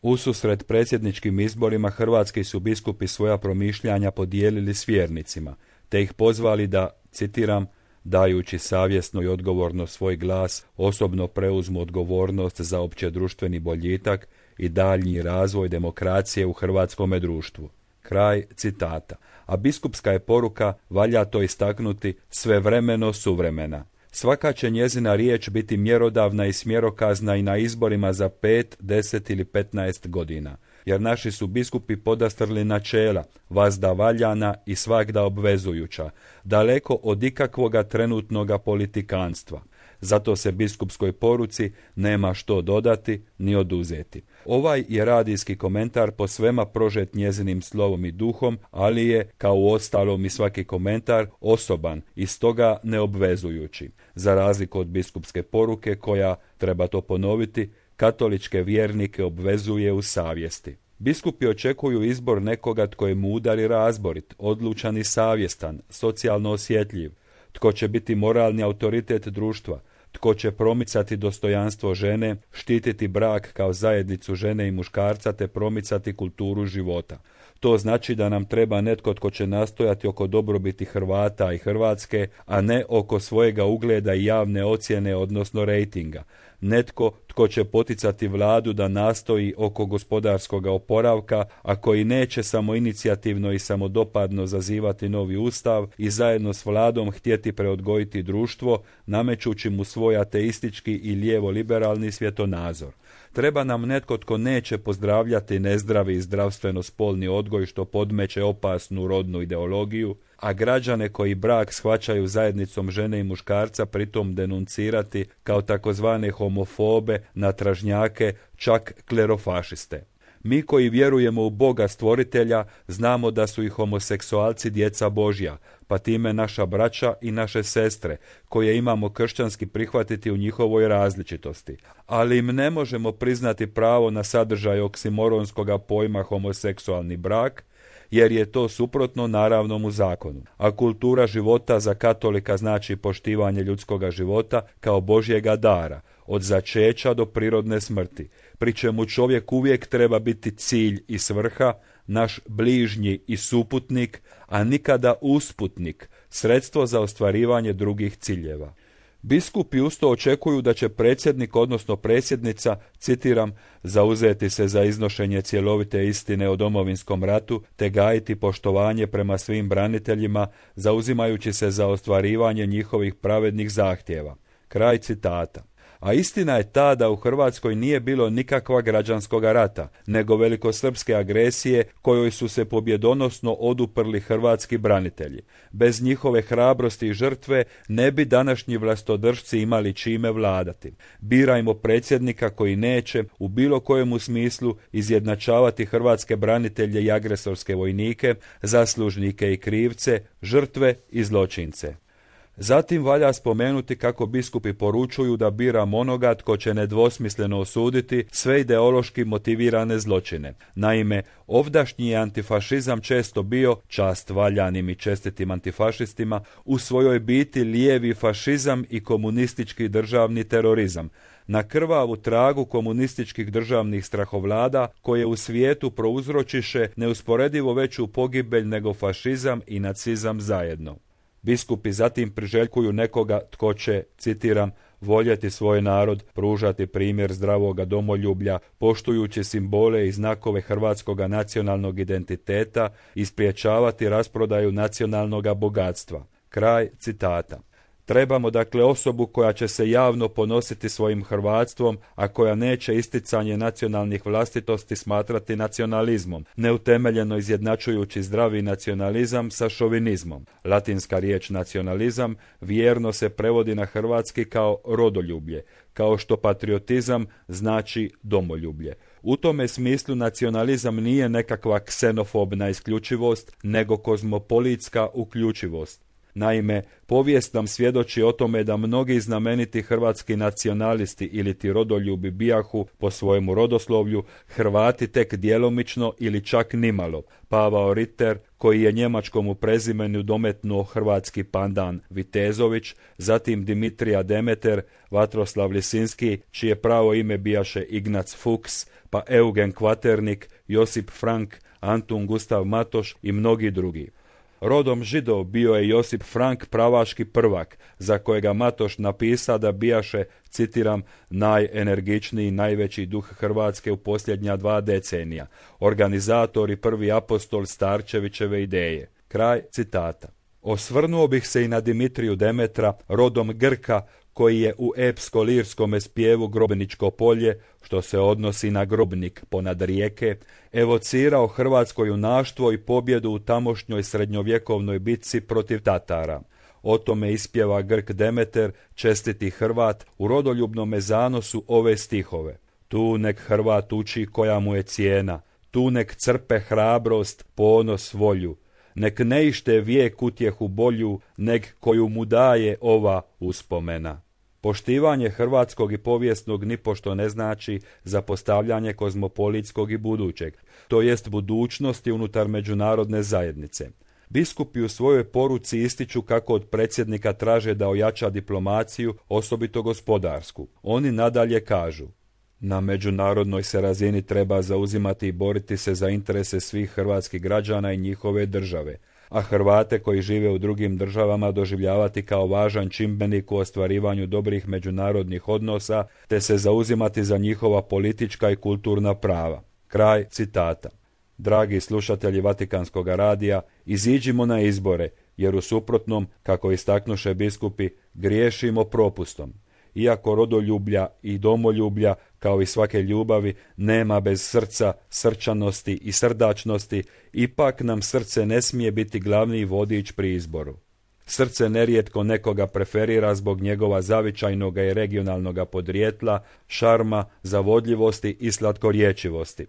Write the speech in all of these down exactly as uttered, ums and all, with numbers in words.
Ususret predsjedničkim izborima hrvatski su biskupi svoja promišljanja podijelili s vjernicima, te ih pozvali da, citiram, dajući savjesno i odgovorno svoj glas, osobno preuzmu odgovornost za općedruštveni boljitak i daljnji razvoj demokracije u hrvatskome društvu. Kraj citata. A biskupska je poruka, valja to istaknuti, svevremeno suvremena. Svaka će njezina riječ biti mjerodavna i smjerokazna i na izborima za pet, deset ili petnaest godina, jer naši su biskupi podastrli načela, vazda valjana i svagda obvezujuća, daleko od ikakvoga trenutnoga politikanstva. Zato se biskupskoj poruci nema što dodati ni oduzeti. Ovaj je radijski komentar po svema prožet njezinim slovom i duhom, ali je, kao u ostalom i svaki komentar, osoban i stoga neobvezujući, za razliku od biskupske poruke koja, treba to ponoviti, katoličke vjernike obvezuje u savjesti. Biskupi očekuju izbor nekoga tko je mudar i razborit, odlučan i savjestan, socijalno osjetljiv, tko će biti moralni autoritet društva, tko će promicati dostojanstvo žene, štititi brak kao zajednicu žene i muškarca te promicati kulturu života. To znači da nam treba netko tko će nastojati oko dobrobiti Hrvata i Hrvatske, a ne oko svojega ugleda i javne ocjene, odnosno rejtinga. Netko tko će poticati vladu da nastoji oko gospodarskog oporavka, a koji neće samoinicijativno i samodopadno zazivati novi ustav i zajedno s vladom htjeti preodgojiti društvo, namećući mu svoj ateistički i lijevo-liberalni svjetonazor. Treba nam netko tko neće pozdravljati nezdravi i zdravstveno spolni odgoj što podmeće opasnu rodnu ideologiju, a građane koji brak shvaćaju zajednicom žene i muškarca pritom denuncirati kao takozvane homofobe, natražnjake, čak klerofašiste. Mi koji vjerujemo u Boga stvoritelja znamo da su i homoseksualci djeca Božja, pa time naša braća i naše sestre, koje imamo kršćanski prihvatiti u njihovoj različitosti. Ali im ne možemo priznati pravo na sadržaj oksimoronskoga pojma homoseksualni brak, jer je to suprotno naravnom u zakonu. A kultura života za katolika znači poštivanje ljudskoga života kao Božjega dara, od začeća do prirodne smrti, pri čemu čovjek uvijek treba biti cilj i svrha, naš bližnji i suputnik, a nikada usputnik, sredstvo za ostvarivanje drugih ciljeva. Biskupi usto očekuju da će predsjednik, odnosno predsjednica, citiram, zauzeti se za iznošenje cjelovite istine o Domovinskom ratu te gajiti poštovanje prema svim braniteljima, zauzimajući se za ostvarivanje njihovih pravednih zahtjeva. Kraj citata. A istina je ta da u Hrvatskoj nije bilo nikakva građanskoga rata, nego velikosrpske agresije kojoj su se pobjedonosno oduprli hrvatski branitelji. Bez njihove hrabrosti i žrtve ne bi današnji vlastodržci imali čime vladati. Birajmo predsjednika koji neće u bilo kojemu smislu izjednačavati hrvatske branitelje i agresorske vojnike, zaslužnike i krivce, žrtve i zločince. Zatim valja spomenuti kako biskupi poručuju da biramo onoga tko će nedvosmisleno osuditi sve ideološki motivirane zločine. Naime, ovdašnji je antifašizam često bio, čast valjanim i čestitim antifašistima, u svojoj biti lijevi fašizam i komunistički državni terorizam, na krvavu tragu komunističkih državnih strahovlada koje u svijetu prouzročiše neusporedivo veću pogibelj nego fašizam i nacizam zajedno. Biskupi zatim priželjkuju nekoga tko će, citiram, voljeti svoj narod, pružati primjer zdravoga domoljublja, poštujući simbole i znakove hrvatskoga nacionalnog identiteta i spriječavati rasprodaju nacionalnoga bogatstva. Kraj citata. Trebamo dakle osobu koja će se javno ponositi svojim hrvatstvom, a koja neće isticanje nacionalnih vlastitosti smatrati nacionalizmom, neutemeljeno izjednačujući zdravi nacionalizam sa šovinizmom. Latinska riječ nacionalizam vjerno se prevodi na hrvatski kao rodoljublje, kao što patriotizam znači domoljublje. U tome smislu nacionalizam nije nekakva ksenofobna isključivost, nego kozmopolitska uključivost. Naime, povijest nam svjedoči o tome da mnogi znameniti hrvatski nacionalisti ili ti rodoljubi bijahu po svojemu rodoslovlju Hrvati tek djelomično ili čak nimalo. Pavao Ritter, koji je njemačkomu prezimenu dometnuo hrvatski pandan Vitezović, zatim Dimitrija Demeter, Vatroslav Lisinski, čije pravo ime bijaše Ignac Fuchs, pa Eugen Kvaternik, Josip Frank, Antun Gustav Matoš i mnogi drugi. Rodom Židov bio je Josip Frank, pravaški prvak, za kojega Matoš napisa da bijaše, citiram, najenergičniji, najveći duh Hrvatske u posljednja dva decenija, organizator i prvi apostol Starčevićeve ideje. Kraj citata. Osvrnuo bih se i na Dimitriju Demetra, rodom Grka, koji je u epsko-lirskome spjevu Grobničko polje, što se odnosi na Grobnik ponad rijeke, evocirao hrvatsko junaštvo i pobjedu u tamošnjoj srednjovjekovnoj bitci protiv Tatara. O tome ispjeva Grk Demeter, čestiti Hrvat, u rodoljubnome zanosu ove stihove. Tu nek Hrvat uči koja mu je cijena, tu nek crpe hrabrost, ponos, volju, nek ne ište vijek utjehu bolju, neg koju mu daje ova uspomena. Poštivanje hrvatskog i povijesnog nipošto ne znači zapostavljanje kozmopolitskog i budućeg, to jest budućnosti unutar međunarodne zajednice. Biskupi u svojoj poruci ističu kako od predsjednika traže da ojača diplomaciju, osobito gospodarsku. Oni nadalje kažu: na međunarodnoj se razini treba zauzimati i boriti se za interese svih hrvatskih građana i njihove države, a Hrvate koji žive u drugim državama doživljavati kao važan čimbenik u ostvarivanju dobrih međunarodnih odnosa, te se zauzimati za njihova politička i kulturna prava. Kraj citata. Dragi slušatelji Vatikanskog radija, iziđimo na izbore, jer u suprotnom, kako istaknuše biskupi, griješimo propustom. Iako rodoljublja i domoljublja, kao i svake ljubavi, nema bez srca, srčanosti i srdačnosti, ipak nam srce ne smije biti glavni vodič pri izboru. Srce nerijetko nekoga preferira zbog njegova zavičajnoga i regionalnoga podrijetla, šarma, zavodljivosti i slatkorječivosti.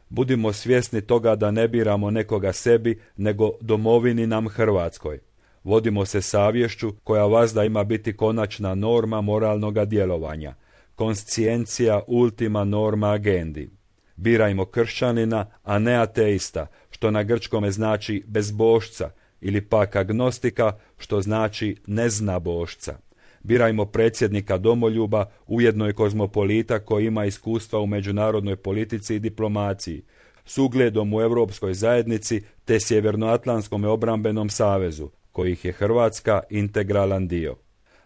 Budimo svjesni toga da ne biramo nekoga sebi, nego domovini nam Hrvatskoj. Vodimo se savješću koja vazda ima biti konačna norma moralnoga djelovanja, konsciencija ultima norma agendi. Birajmo kršćanina, a ne ateista, što na grčkome znači bezbožca, ili pak agnostika, što znači neznabošca. Birajmo predsjednika domoljuba, ujedno i kozmopolita koji ima iskustva u međunarodnoj politici i diplomaciji, s ugledom u Europskoj zajednici te Sjevernoatlantskom obrambenom savezu, kojih je Hrvatska integralan dio.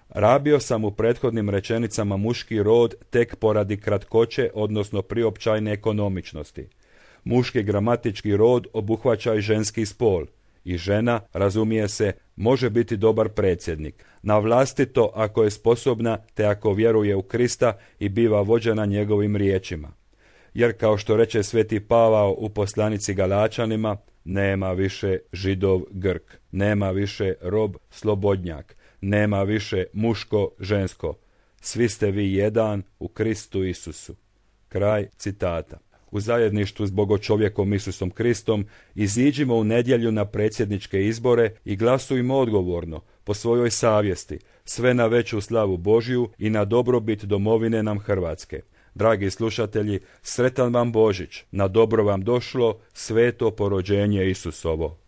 Rabio sam u prethodnim rečenicama muški rod tek poradi kratkoće, odnosno priopćajne ekonomičnosti. Muški gramatički rod obuhvaća i ženski spol, i žena, razumije se, može biti dobar predsjednik, na vlastito ako je sposobna te ako vjeruje u Krista i biva vođena njegovim riječima. Jer kao što reče sveti Pavao u poslanici Galačanima, nema više Židov Grk, nema više rob slobodnjak, nema više muško žensko. Svi ste vi jedan u Kristu Isusu. Kraj citata. U zajedništvu s Bogočovjekom Isusom Kristom iziđimo u nedjelju na predsjedničke izbore i glasujmo odgovorno, po svojoj savjesti, sve na veću slavu Božju i na dobrobit domovine nam Hrvatske. Dragi slušatelji, sretan vam Božić, na dobro vam došlo sveto porođenje Isusovo.